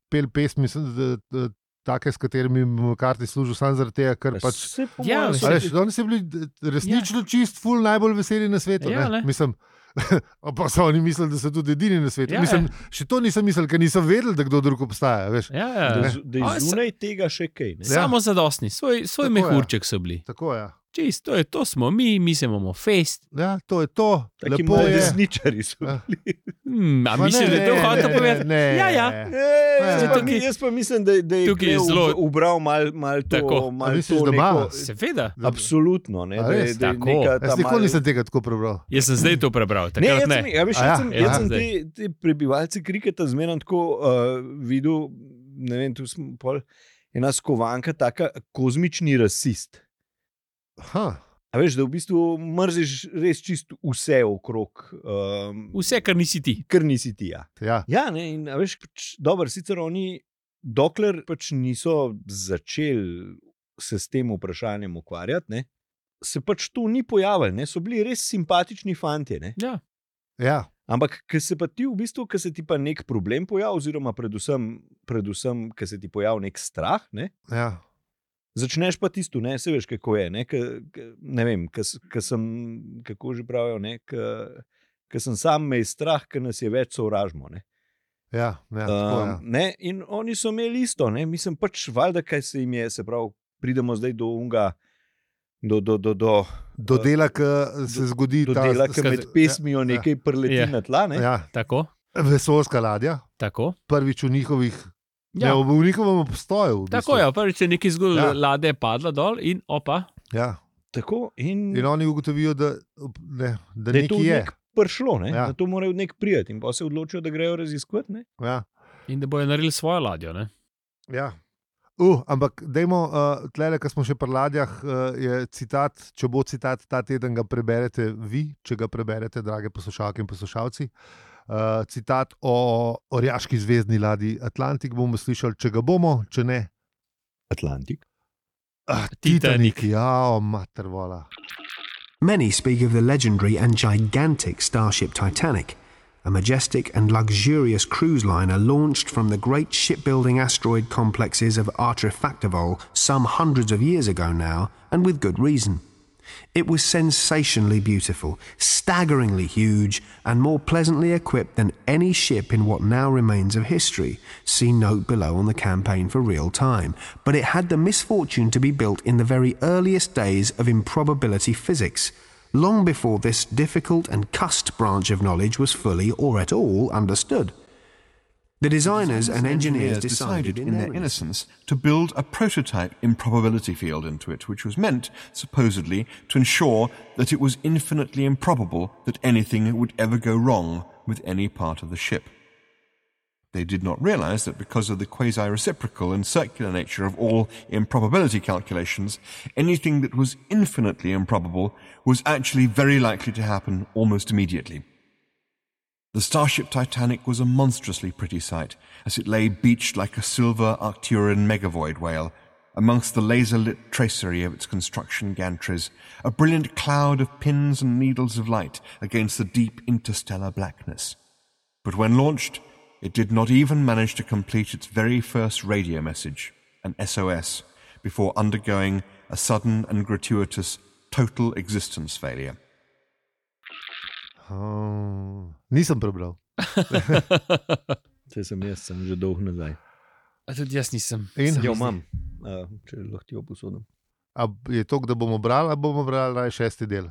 pel pesmi, s- d- d- take, s katerimi bi McCartney služil, samo zaradi tega, ker pač. se po Ja, mojem veš, A so- veš, oni so bili d- resnično ja. čist, ful najbolj veseli na svetu. Ja, ne? ne. Mislim, pa so oni mislili, da so tudi edini na svetu. Ja, Ja, Mislim, še to nisem mislil, ker niso vedeli, da kdo drug obstaja. Veš. Ja, ja. da, z- da A, je se- zunaj tega še kaj. Ne. Ja. Samo zadostni, svoj, svoj Tako je. mehurček so bili. Tako je. Čist, to je to, smo mi, mi se imamo fest. Ja, to je to. Taki Lepo moji je. desničari so Ja. bili. Hmm, a Ma misliš, ne, da je to ne, hotel ne, povedati? ne, Ja, ja. E, jaz, Ja. pa, Tukaj- mi, jaz pa mislim, da, da je tukaj je Kleo zelo- ubral malo mal to. Tako. Mal A misliš, to da ima? neko, Seveda. absolutno. Ne, A da, je- res? da je Tako. neka Jaz ta nikoli mal- nisem tega tako prebral. Jaz sem zdaj to prebral, Ne, takrat jaz ne. sem, ja, veš, A jaz ja? sem, Ja. jaz sem Zdaj. te, te prebivalce kriketa zmeraj tako uh, videl, ne vem, tu smo pol, ena skovanka, taka kozmični rasist. Ha. A veš, da v bistvu mrziš res čisto vse okrog, um, Vse, kar nisi ti. kar nisi ti. Ja, Ja. ja ne, in a veš, pač, dobro, sicer oni, dokler pač niso začeli se s tem vprašanjem ukvarjati, ne, se pač to ni pojavilo, ne, so bili res simpatični fantje. Ne. Ja. Ja. Ampak, ker se pa ti v bistvu, ker se ti pa nek problem pojavi, oziroma predvsem, predvsem ker se ti pojavi nek strah, ne, Ja. začneš pa tisto, ne, se veš, kako je. Ne, k, k, ne vem, ker sem, kako že pravijo, ker sem sam me je strah, ker nas je več sovražimo. Ne. Ja. Ja. Tako, ja. Um, ne, in oni so imeli isto, ne, mislim pač, valjda, kaj se jim je, se pravi, pridemo zdaj do unga. Do, do, do, do, Do dela, ki se zgodi do ta dela, ki skaz- med pesmijo ja, nekaj preleti Ja. na tla. Ne? ja, Tako, vesoljska ladja, tako. prvič v njihovih, Ja. ne, v njihovem obstoju. V Tako bistvu. je, prvič je nekaj zgodilo, Ja. ja. Lada je padla dol in opa. Ja. Tako, in, In oni ugotovijo, da, ne, da, da je to nekaj je. nek prišlo, ne? Ja. Da to morajo nek prijeti in pa se odločijo, da grejo raziskovati. Ne? Ja. In da bojo naredili svojo ladjo. Ne? Ja. Uh, ampak, dajmo, uh, tlele, ko smo še pri ladjah, uh, je citat, če bo citat ta teden, ga preberete vi, če ga preberete, drage poslušalke in poslušalci. Uh, citat o orjaški zvezdni ladji Atlantik bomo slišali, če ga bomo, če ne. Atlantik. Ah, Titanic. ja, mater vola. Many speak of the legendary and gigantic starship Titanic, a majestic and luxurious cruise liner launched from the great shipbuilding asteroid complexes of Artrefactivol some hundreds of years ago now, and with good reason. It was sensationally beautiful, staggeringly huge, and more pleasantly equipped than any ship in what now remains of history. See note below on the campaign for real time. But it had the misfortune to be built in the very earliest days of improbability physics, long before this difficult and cussed branch of knowledge was fully or at all understood. The designers and engineers decided in their innocence to build a prototype improbability field into it, which was meant, supposedly, to ensure that it was infinitely improbable that anything would ever go wrong with any part of the ship. They did not realize that because of the quasi-reciprocal and circular nature of all improbability calculations, anything that was infinitely improbable was actually very likely to happen almost immediately. The starship Titanic was a monstrously pretty sight, as it lay beached like a silver Arcturian megavoid whale, amongst the laser-lit tracery of its construction gantries, a brilliant cloud of pins and needles of light against the deep interstellar blackness. But when launched, it did not even manage to complete its very first radio message, an S O S, before undergoing a sudden and gratuitous total existence failure. Uh, nisem prebral. Saj sem jaz, sem že dolg nazaj. A tudi jaz nisem. In? Se mi Jo zdi. imam, uh, če lahko ti jo posodim. A je to, da bomo brali, ali bomo brali naj šesti del?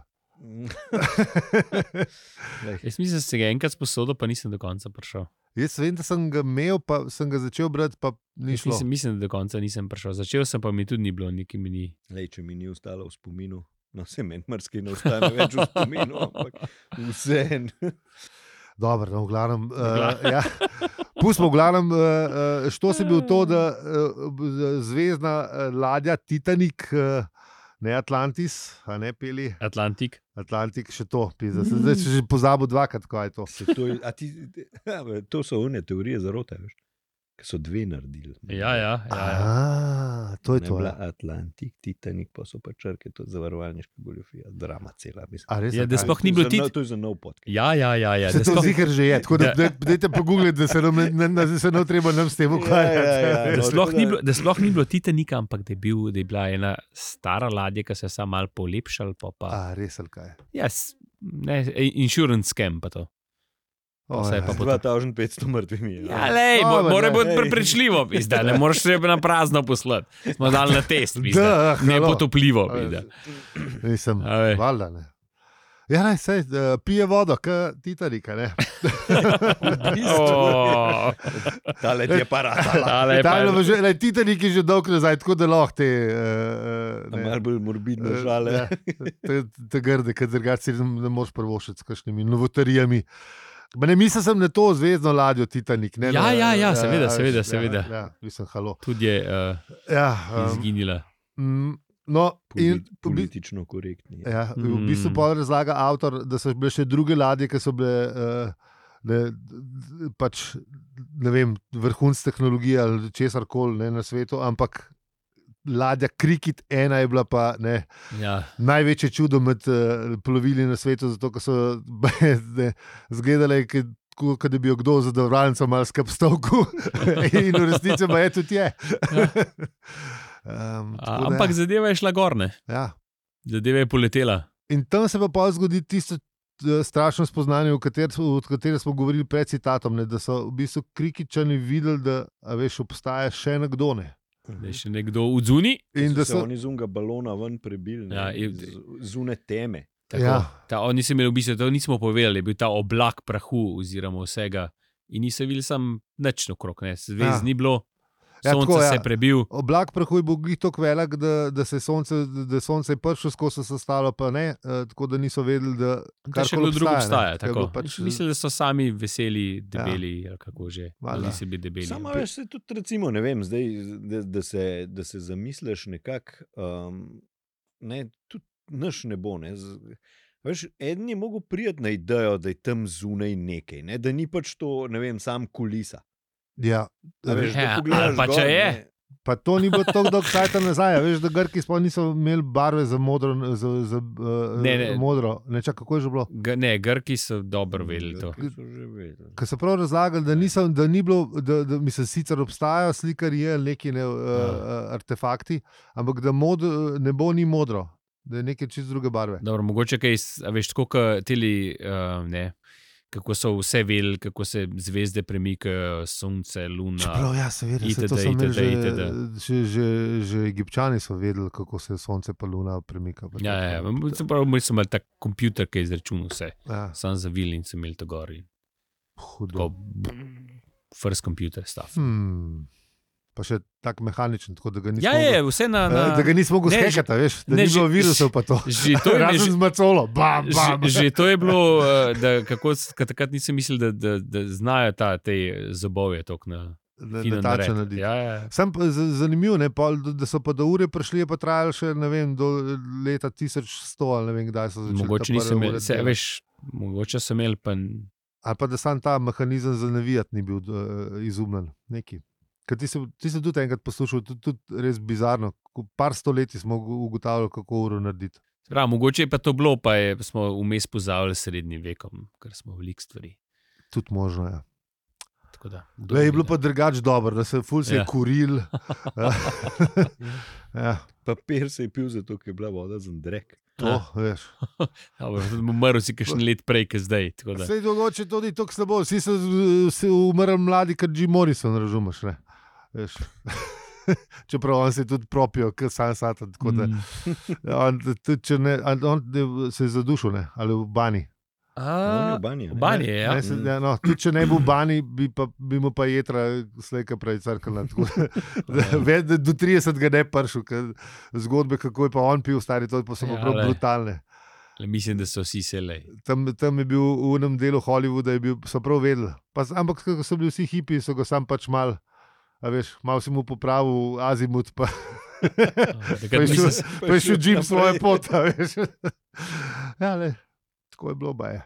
Jaz mislim, da se ga enkrat sposodil, pa nisem do konca prišel. Jaz vem, da sem ga imel, pa sem ga začel brati, pa ni Jaz šlo. Mislim, mislim, da do konca nisem prišel. Začel sem, pa mi tudi ni bilo, nikaj mi ni. Lej, če mi ni ostalo v spominu, no se meni mrski ne ostane več v spominu, ampak vse. Dobro, no, v glavnem. Uh, glavnem. ja. Pustimo, v glavnem, uh, što se bil to, da uh, zvezdna uh, ladja Titanic, uh, ne Atlantis, a ne peli Atlantik. Atlantik, še to. Pizda. Sem zdaj že pozabil dvakrat, kaj je to. Se to, je- a ti, ja, to so one teorije zarote, veš, ki so dve naredili. Ja, ja, ja, ja. A, to je Ne to. bila Ja. Atlantik, Titanic, pa so pa črke, to je zavarovalniška goljofija, drama cela. Mislim. A res? Ja, ali da kaj? sploh ni To je bilo za tit- nov- To je za nov podcast. Ja, ja, ja, ja. Se Da to sploh- zihar že je, tako da Da- dajte pogoogliti, da se nam ne, ne, ne, se ne treba nam s tem ukvarjati. Ja, ja, ja. Da No, sploh, tako ni da- bilo, da sploh ni bilo Titanika, ampak da je, bil, da je bila ena stara ladja, ki se je samo malo polepšala. Pa, pa. A, res ali kaj? Ja, s- ne, insurance scam pa to. Vse je pa dva tisoč petsto mrtvimi. Ja, lej, mo, Dobro, mora ne. biti prepričljivo, pizda, ne moreš se na prazno poslati. Smo dali na test, pizda. Da, Ne halo. potopljivo, pizda. Nisem, A veš. valjda ne. Ja, ne, sej, uh, pije vodo, kot Titanika, ne. Oh, Tale ti je paratala. tale je Ta je pa- bilo že, lej, Titanik je že dolgo nazaj, tako da lahko te... Uh, uh, Malo bolj morbidno Eh, žale. ja, te, te grde, ker drugače si ne moreš prvošiti s kakšnimi novotarijami. Ma ne mislim sem na to zvezdno ladjo Titanik. Ne, Ja, na, ja, ja, seveda, a, seveda, ja, seveda. Ja, mislim, halo. Tudi je uh, Ja, um, izginila. mm, no, in Polit, politično korektni. ja, v Mm. bistvu pa razlaga avtor, da so bile še druge ladje, ki so bile uh, ne, d- pač, ne vem, vrhunc tehnologije ali česar koli ne, na svetu, ampak ladja Cricket ena je bila pa ne, Ja. največje čudo med uh, plovili na svetu, zato ker so ne, zgledale, kot da bi jo kdo z zadovoljnicom malo skrb stavku in v resnici pa je tudi je. um, A, tako da ampak ja. zadeva je šla gor, ne? Ja. Zadeva je poletela. In tam se pa pa zgodi tisto eh, strašno spoznanje, o katerem kater smo govorili pred citatom, ne, da so v bistvu krikičani videli, da a veš, obstaja še nekdo. Ne. Da je še nekdo v zuni. In In da da so so, oni z unga balona ven prebili, ne, Ja, in- iz zune teme. Tako, Ja. ta, oni so imeli v bistvu, to nismo povedali, je bil ta oblak prahu oziroma vsega. In niso videli sam nič okrog, ne. Zvezd Ja. ni bilo, Ja, sonce tako, ja. se je prebil. oblak prahu je bil glih tako velik, da, da se je sonce, da je sonce je prišlo skozi se stalo, pa ne, eh, tako da niso vedeli, da Da še karkoli kdo drug obstaja, obstaja. ne. Tako. Ker bo Pač, Mislim, da so sami veseli, debeli, ali kako že. Valjda. Ali si bi debeli. Samo veš, se tudi, recimo, ne vem, zdaj, da, da, se, da se zamisliš nekako, um, ne, tudi naš ne bo. Ne, z, veš, eden je mogel priti na idejo, da je tam zunaj nekaj, ne, da ni pač to, ne vem, sam kulisa. ja, A veš, da Ja, pogledaš ali pa gor, če je. ne, pa to ni bilo tako dolgo časa nazaj. a Veš, da Grki sploh niso imeli barve za modro. Za, za, uh, Ne, ne. modro. Ne, čak, kako je že bilo? G ne, Grki so dobro vedeli to. Grki so že vedeli. Ker so prav razlagali, da, nisem, da ni bilo, da, da mislim, sicer obstajajo slikarji ali neki ne, uh, uh, artefakti, ampak da mod, nebo ni modro, da je nekaj čist druge barve. Dobro, mogoče kaj, s- a veš, tako kot teli, uh, ne, kako so vse vedeli, kako se zvezde premikajo, sonce, luna. Čeprav, ja, seveda, se to itd., so imeli itd., že, itd. že, že, že Egipčani so vedeli, kako se sonce pa luna premika. pa Ja, tako. ja, ja. Se pravi, mi smo imeli tak kompjuter, ki je izračunal vse. Ja, Sam zavil in sem imel to gor. in hudo. Tako, first computer stuff. Hmm. Pa še tak mehaničen, tako da ga nismo Ja, je, vse na. mogli, na da ga nismo mogli Ne, skekati, veš, da ne, ni bilo že- virusov pa to. že to je Razen že- z macolo, bam, bam. Že, že to je bilo, eh, da kako, s- ka takrat nisem mislil, da, da, da znajo ta, te zobove tako na Na- fino na tačen narediti. narediti. Ja, ja. Sam pa z- zanimivo, ne, pol, da- da so pa do ure prišli, je pa trajalo še ne vem, do leta tisoč sto ali ne vem, kdaj so začeli. Mogoče ta prve nisem imel, ure se, delati. veš, mogoče sem imel, pa n- Ali pa da sam ta mehanizem za navijati ni bil uh, izumljen. Neki. Ker ti si, ti si tudi enkrat poslušal, tudi, tudi res bizarno. Ko par stoletij smo ugo- ugotavljali, kako uro narediti. se pravi, mogoče je pa to bilo, pa je, smo vmes pozavili s srednjim vekom, ker smo veliko stvari. Tudi možno je. Ja. Tako da, kdo Le, je ve, bilo ne. pa drugače dobro, da se ful se je Ja. kuril. ja, Papir se je pil zato, ker je bila voda za drek. to, Ja. veš. Dobro, umrl si kakšen let prej, kot zdaj. tako da. Sej dogoče to ni tako slabo, vsi so z- se umrli mladi, kot Jim Morrison, razumeš? Ne? Veš. Čeprav on se je tudi propil, kot sam satan. Tako da, Mm. on, tudi, če ne, on ne- se je zadušil, ne? Ali v bani. On je A, v banji. v banji je, ja. Ne, se, ja, no, tudi če ne bi v bani, bi, pa, bi mu pa jedra slejka prej crkala. tako da- da- da Do trideset ga ne pršil, ker zgodbe, kako je pa on pil, stari, to pa so Ja, ja, prav glej. brutalne. Le mislim, da so vsi selej. Tam, tam je bil v enem delu Hollywooda, je bil, so prav vedeli. Pa, ampak ko so bili vsi hipi, so ga sam pač mal, a veš, malo si mu popravil azimut, pa, pa Takrat je šel, nisem- pa je šel Jim svoje pot, a veš. Ja, le, tako je bilo, baje.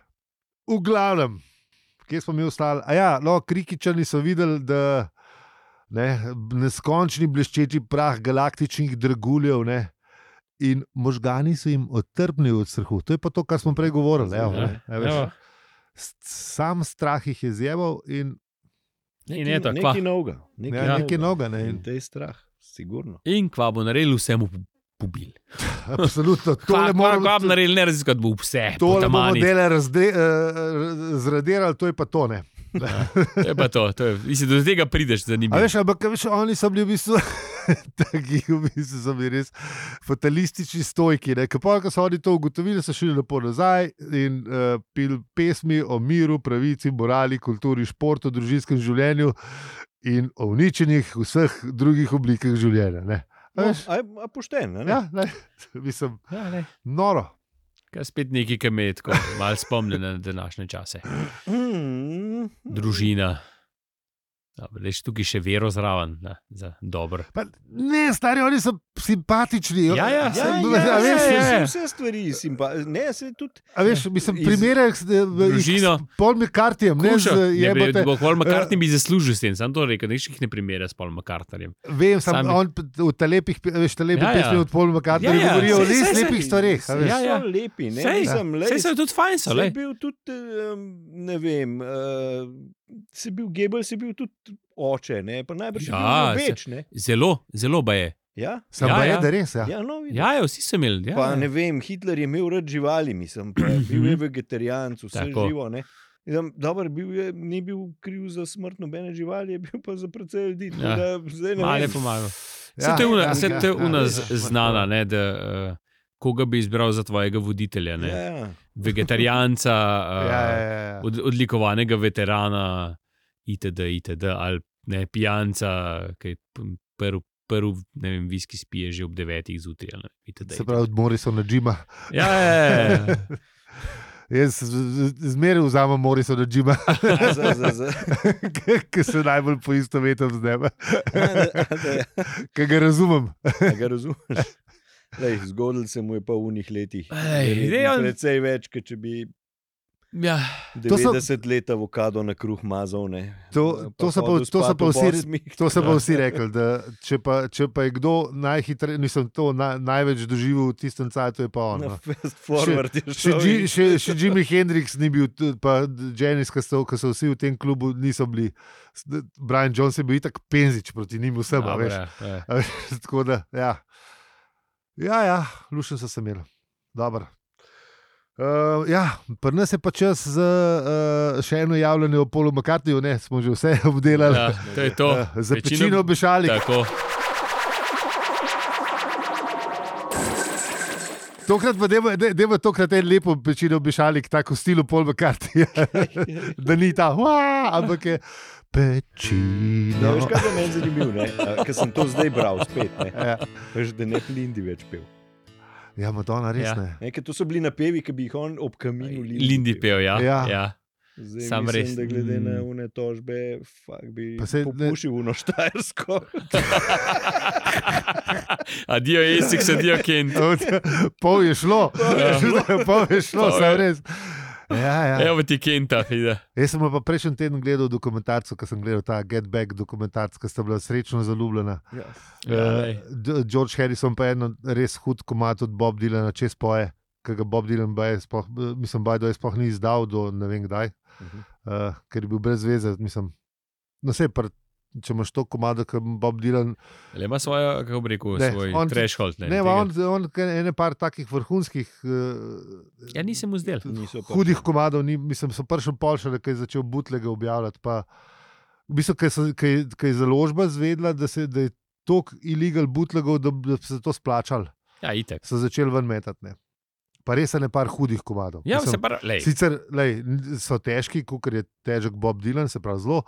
V glavnem, kje smo mi ostali? A ja, no, krikičani so videli, da ne, neskončni bleščeči prah galaktičnih draguljev, ne, in možgani so jim otrpni od strahu. To je pa to, kar smo prej govorili. Evo, ne, a veš. Evo. S- Sam strah jih je zjeval in In je to, kva. Nekaj novega. Nekaj ja, nekaj noga. Ne, In in, te je strah, sigurno. In kva bo naredil vsemu pobili. Absolutno. Tole moramo narediti, ne raziskati, bo vse. Tole bomo dele razde, uh, zradirali, to je pa to ne. Ja, to je pa to. to je, mislim, do tega prideš zanimivo. A veš, ampak veš, oni so bili v bistvu taki, v bistvu so bili res fatalistični stojki. Ko so oni to ugotovili, so šli lepo nazaj in uh, pil pesmi o miru, pravici, morali, kulturi, športu, družinskem življenju in o uničenih vseh drugih oblikah življenja. Ne? A, No, veš, a, a pošten, ne? ja, ne, mislim, Ja, ne. noro. Kaj spet nekaj, ki me je tako malo spomnil na današnje čase. Mm, Družina. Dobre, leš tukaj še vero zraven, da, za dobro. Pa, ne, stari, oni so simpatični. Ja, ja, Ja, saj, ja, a veš, ja, ja. vse, vse stvari simpa, ne, se tudi A veš, mislim, Iz- primere Družino. s Paul McCarthyjem, ne Kuša, z ne, bi- jebote. bo Paul McCartney bi zaslužil s tem, sam to rekel, neš jih ne primere s Paul McCartneyjem. Vem, sam Sami- on p- v ta lepih, veš, ta lepih Ja, ja. pesmi od Paul McCartneyja Ja, ja, govorijo o sej, res sej, lepih sej. stvareh. a veš. Ja, ja. so lepi, ne, Sej, mislim, lej, sej so tudi fajn, so, se lej. je bil tudi, um, ne vem, uh, se bil Goebbels, je bil tudi oče, ne, pa najbrž Ja, je bil več, ne. Zelo, zelo ba je. Ja, Sam Ja, pa je, ja. da res, ja. ja, no, vidiš. Ja, ja, vsi so imeli. Ja, Pa ja. ne vem, Hitler je imel rad živali, mislim, pa bil je vegetarijanc, vse Tako. živo, ne. Mislim, dober, bil je, ni bil kriv za smrt nobene živali, je bil pa za precej ljudi. tako Ja. da zdaj ne Malo je vem. pomagal. Ja, Se to je una, ja, se ja, to je ja, una ja, z- ja, znana, ne, da uh, koga bi izbral za tvojega voditelja. Ne? Ja, ja. Vegetarijanca, uh, Ja, ja, ja, ja. od, odlikovanega veterana, itd., itd., ali ne, pijanca, ki je p- prv, prv ne vem, viski spije že ob devetih zjutraj. ali itd., Se pravi, od Morrisona Jima. Ja, ja, ja. Jaz z- z- zmeraj vzamem Morrisona Jima, A, za, za, za. ki se najbolj poistovetim z njim, A, da- a, da- ki ga razumem. a ga razumeš? Lej, zgodilo se mu je pa v unih letih. Ej, Verjetno dej, on- Precej več, kot če bi ja. To so- devetdeset let avokado na kruh mazal. Ne. To, to, so pa, hodil to, so spat pa ob vsi, osmih. to so pa vsi rekli, da če pa, če pa je kdo najhitreje, nisem to na, največ doživel v tistem cajtu, je pa on. Na No. fast forward je Še, šel. Ji- in- še, še Jimi Hendrix ni bil, t- pa Janis, ki so, ki so vsi v tem klubu, niso bili. S- Brian Jones je bil itak penzič proti njim vsem, a Dobre, veš. ja. A veš, tako da, ja. Ja, ja, lušen so se imeli. Dobro. Uh, ja, pri nas je pa čas za uh, še eno javljanje o Paulu McCartneyju, ne, smo že vse obdelali. Ja, to je to. Uh, za Večino- pečino obešali. Tako. Tokrat pa dajmo- daj- dajmo tokrat en lepo pečino obešali, tako v stilu Paul McCartneyja. Da ni ta, "Waa", ampak je Ja, pečino. veš, kaj je meni zanimivo, ker sem to zdaj bral spet. Ne. Ja, Veš, da ne Lindi več pel. ja Madonna, res Ja. ne. Ne, ker to so bili napevi, ki bi jih on ob kaminu Lindi pel, ja. Ja. ja. Zdaj, Sam mislim, res. da glede na Mm. une tožbe, fak bi Pa saj ne- popušil uno štajersko. Adijo, Essex, adijo, Kent. Od- Pol je šlo, pol je šlo, Pol sem je- res. Ja, ja. Evo ti Kenta, ide. Jaz sem pa prejšnji teden gledal dokumentarco, ko sem gledal ta Get Back dokumentarc, ki sta bila srečno zaljubljena. Ja. Ja, Eh, lej. D- George Harrison pa je eno res hud komad od Bob Dylana, čez poje, ki ga Bob Dylan baje, sploh, mislim, baje, da je sploh ni izdal do ne vem kdaj, Mhm. uh, ker je bil brez veze. Mislim, no, sej, pr, če imaš to komado, kot Bob Dylan. Le ima svojo, kako bi rekel, Ne, svoj on- threshold. Ne, Ne, ne tega- on, on kar ene par takih vrhunskih. Uh, Ja, nisem mu zdel. Niso pa- Hudih komadov, ni, mislim, so prišel polšele, ki je začel butlega objavljati. Pa, v bistvu, ki je založba zvedla, da, se, da je toliko illegal butlegov, da, da so se to splačali, Ja, itek. so začeli ven metati. Ne. Pa res je ne par hudih komadov. Ja, Mislim, se pa, lej. Sicer lej, n- so težki, kot je težek Bob Dylan, se pravi zelo,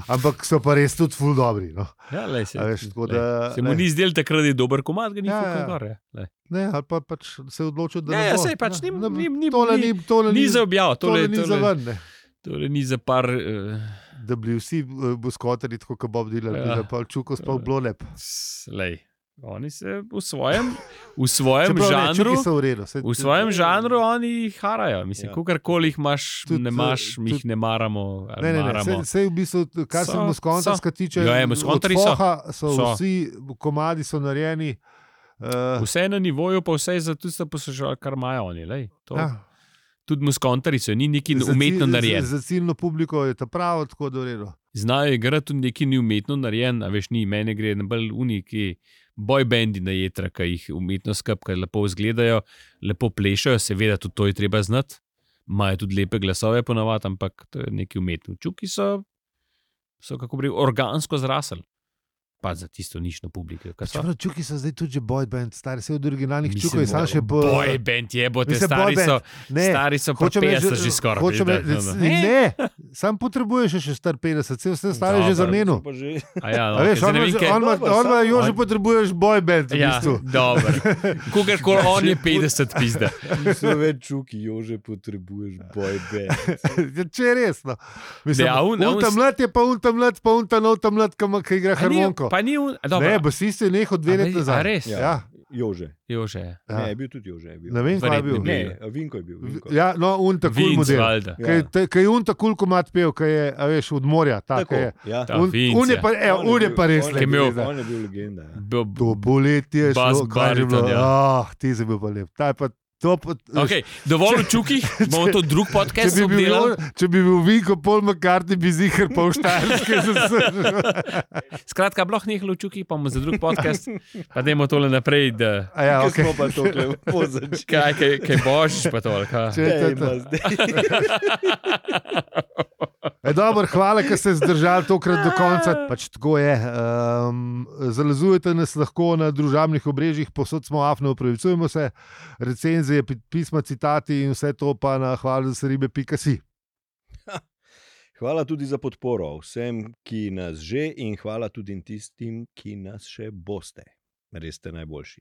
ampak so pa res tudi ful dobri. No. Ja, lej, se, A veš, tako lej. da, se mu lej. ni zdel takrat, da je dober komad, ga ni Ja, fukal ja. gor. Ja. Lej. Ne, ali pa pač se je odločil, da Ja, ne ja, bo. sej pač ni- Ne, ni- ni- tole ni- ni, tole Ni ni, za objav, tole tole, ni za tole, ven. Ne. tole ni za par. Uh, Da bi vsi uh, buskotari, tako kot Bob Dylan, Ja. ja. pa čuko spal bilo lep. lej. Oni se v svojem, v svojem Čeprav ne, žanru. čuki so v redu. Saj, V svojem žanru oni harajo. Mislim, Ja. ja. kakorkoli jih imaš, Tudi, ne imaš, mi jih tudi- ne maramo. ali Ne, ne, ne, maramo. sej, sej v bistvu, kar So- se Moskontarska tiče, Ja, ja, od Moskontarji so. Foha so, So. vsi komadi so narejeni. Uh, Vse je na nivoju, pa vse je za tisto poslušal, kar imajo oni. Lej, to, ja. Tudi muskontarji so, ni neki umetno narejen. Za, za ciljno publiko je to prav, tako da v redu. Znajo igrati tudi neki ni umetno narejen, a veš, ni, mene gre na bolj uniki boybendi na jetra, ki jih umetno skapka lepo izgledajo, lepo plešajo, seveda tudi to je treba znati, imajo tudi lepe glasove ponavadi, ampak to je neki umetni. Čuki so, so kako bi organsko zrasli. Pa za tisto nično publiko. Čeprav Čuki so zdaj tudi že boyband, stari se od originalnih Čukov je sam še po... Boyband je, bote, stari so, ne, stari so pa petdeset že skoraj. Hočem reči, ne, ne, sam potrebuješ še star petdeset, vse vse stari že za menu. A ja, no, a veš, on ima, jo že potrebuješ boyband v ja, bistvu. Dobro. Kogarkoli on je petdeset pizda. Niso več Čuki, jo že potrebuješ boyband. Če je res, no. Mislim, un ta mlad je pa un ta mlad, pa un ta nov ta mlad, ki igra harmoniko. Pa ni un... Ne, basist je nehal dve leti nazaj. A res? Ja. Jože. Jože. Ja. Ne, je bil tudi Jože. Je bil. Ne vem, kaj je bil. Ne, Vinko je bil. Vinko. Ja, no, un ta kul model. Ja. Kaj je un ta kul komat pel, kaj je, a veš, od morja. Tako, je. Ja. Un, un, je pa, evo, un, un je pa res. On je bil, on je bil legenda. Ja. To boletje je šlo, kaj je bilo. Ja. Ah, ti si bil pa lep. Ta je pa to pa... Okay, dovolj v Čukih, bomo to drug podcast obdelali. Če bi bil Vinko Paul McCartney, bi zihar pa v Štajerske zasržil. Skratka, bloh nehal v Čukih, pa bomo za drug podcast, pa dajmo tole naprej, da... A ja, Kaj okej. smo pa tokle pozačili. Kaj, kaj, kaj božiš pa tole, kaj? Če je to to. E, dobro, hvala, ker ste zdržali tokrat do konca. Pač tako je. Um, zalezujete nas lahko na družabnih obrežjih, posod smo afno, opravičujemo se. Recenzije, pisma, citati in vse to pa na hvala za ribe pika si. Hvala tudi za podporo vsem, ki nas že in hvala tudi tistim, ki nas še boste. Res ste najboljši.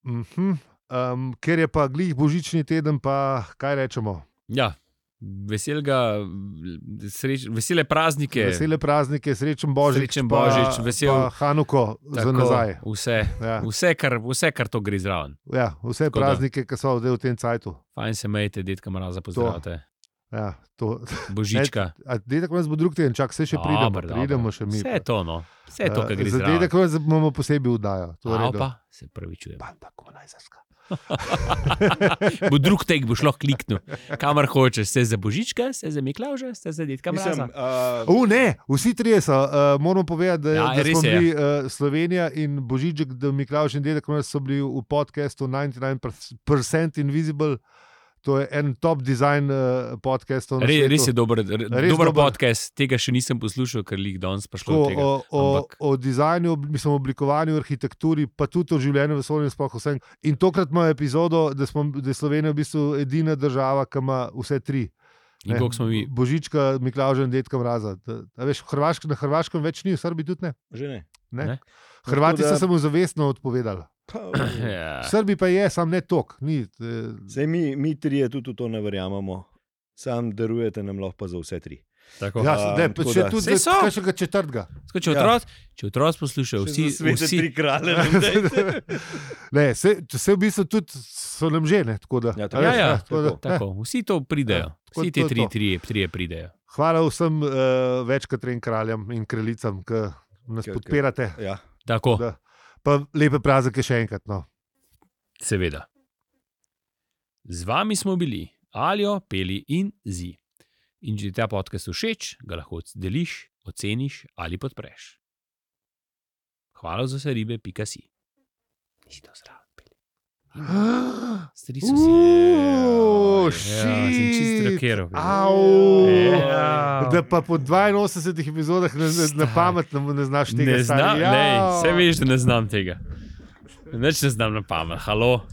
Uh-huh. Um, ker je pa glih božični teden, pa kaj rečemo? Ja. Veselega, sreč, vesele praznike. Vesele praznike, srečen Božič, srečen Božič pa, vesel, pa Hanuko za nazaj. Vse, ja. vse, kar, vse, kar to gre zraven. Ja, vse tako praznike, ki so zdaj v tem cajtu. Fajn se majte, detka Mraza, pozdravite. Ja, to. Božička. Ne, dedek Mraz bo drug teden, čak, vse še pridemo, dobar, pridemo dobar. še mi. Vse je to, no. Vse je to, kar gre za zraven. Za dedek Mraz bomo posebej vdajo. Opa, se pravi čujem. Banda komunajzarska. Bo drug tek, boš lahko kliknil. Kamar hočeš, ste za Božička, ste za Miklavža, ste za detka Mraza. Uh, uh, ne, vsi trije so. Uh, moramo povedati, da, ja, da smo je, bili uh, Slovenija in Božiček, da Miklavž in dedek Mraz so bili v podcastu devetdeset devet percent Invisible. To je en top design uh, podcast. Re, res je dober, re, res dober, dober podcast, tega še nisem poslušal, ker jih danes pa šlo. O, o, Ampak... o dizajnu, mislim, oblikovanju, arhitekturi, pa tudi o življenju v vesolju sploh vsem. In tokrat imamo epizodo, da, smo, da je Slovenija v bistvu edina država, ki ima vse tri. In koliko smo mi? Božička, Miklavža in detka Mraza. Da, da veš, Hrvašk, na Hrvaškem več ni, v Srbiji tudi ne. Že ne. ne? ne? Hrvati da... so se mu zavestno odpovedali. Ja. Srbi pa je, sam ne tok. Ni, eh... Sej mi, mi trije tudi to ne verjamemo. Sam darujete nam lahko pa za vse tri. Tako. Ja, um, ne, pa še da... tudi za kakšnega četrtega. Sko, če otroc, ja. če otroc poslušajo, vsi... Svete vsi... tri kralje. Ne, se, se v bistvu tudi so nam že, ne? Tako da, ja, tako, ja, ja, tako, da, tako. Vsi to pridejo. Ja, vsi te tri, tri, tri pridejo. Hvala vsem uh, večkrat trem kraljem in kraljicam, ki nas k, podpirate. K, ja. Tako. Da. Pa lepe praznike še enkrat. No. Seveda. Z vami smo bili Aljo, Peli in Zi. In če ti ta podcast všeč, ga lahko deliš, oceniš ali podpreš. Hvala za vse ribe, pika si. Nisi to zraven, Peli. Stari so si. Uuuu, ja, sem čisto rakeral. Ja. Da pa po dvainosemdesetih epizodah na, na pamet ne znaš tega. Ne znam, ja. Vse veš, da ne znam tega. Neč ne znam na pamet, halo.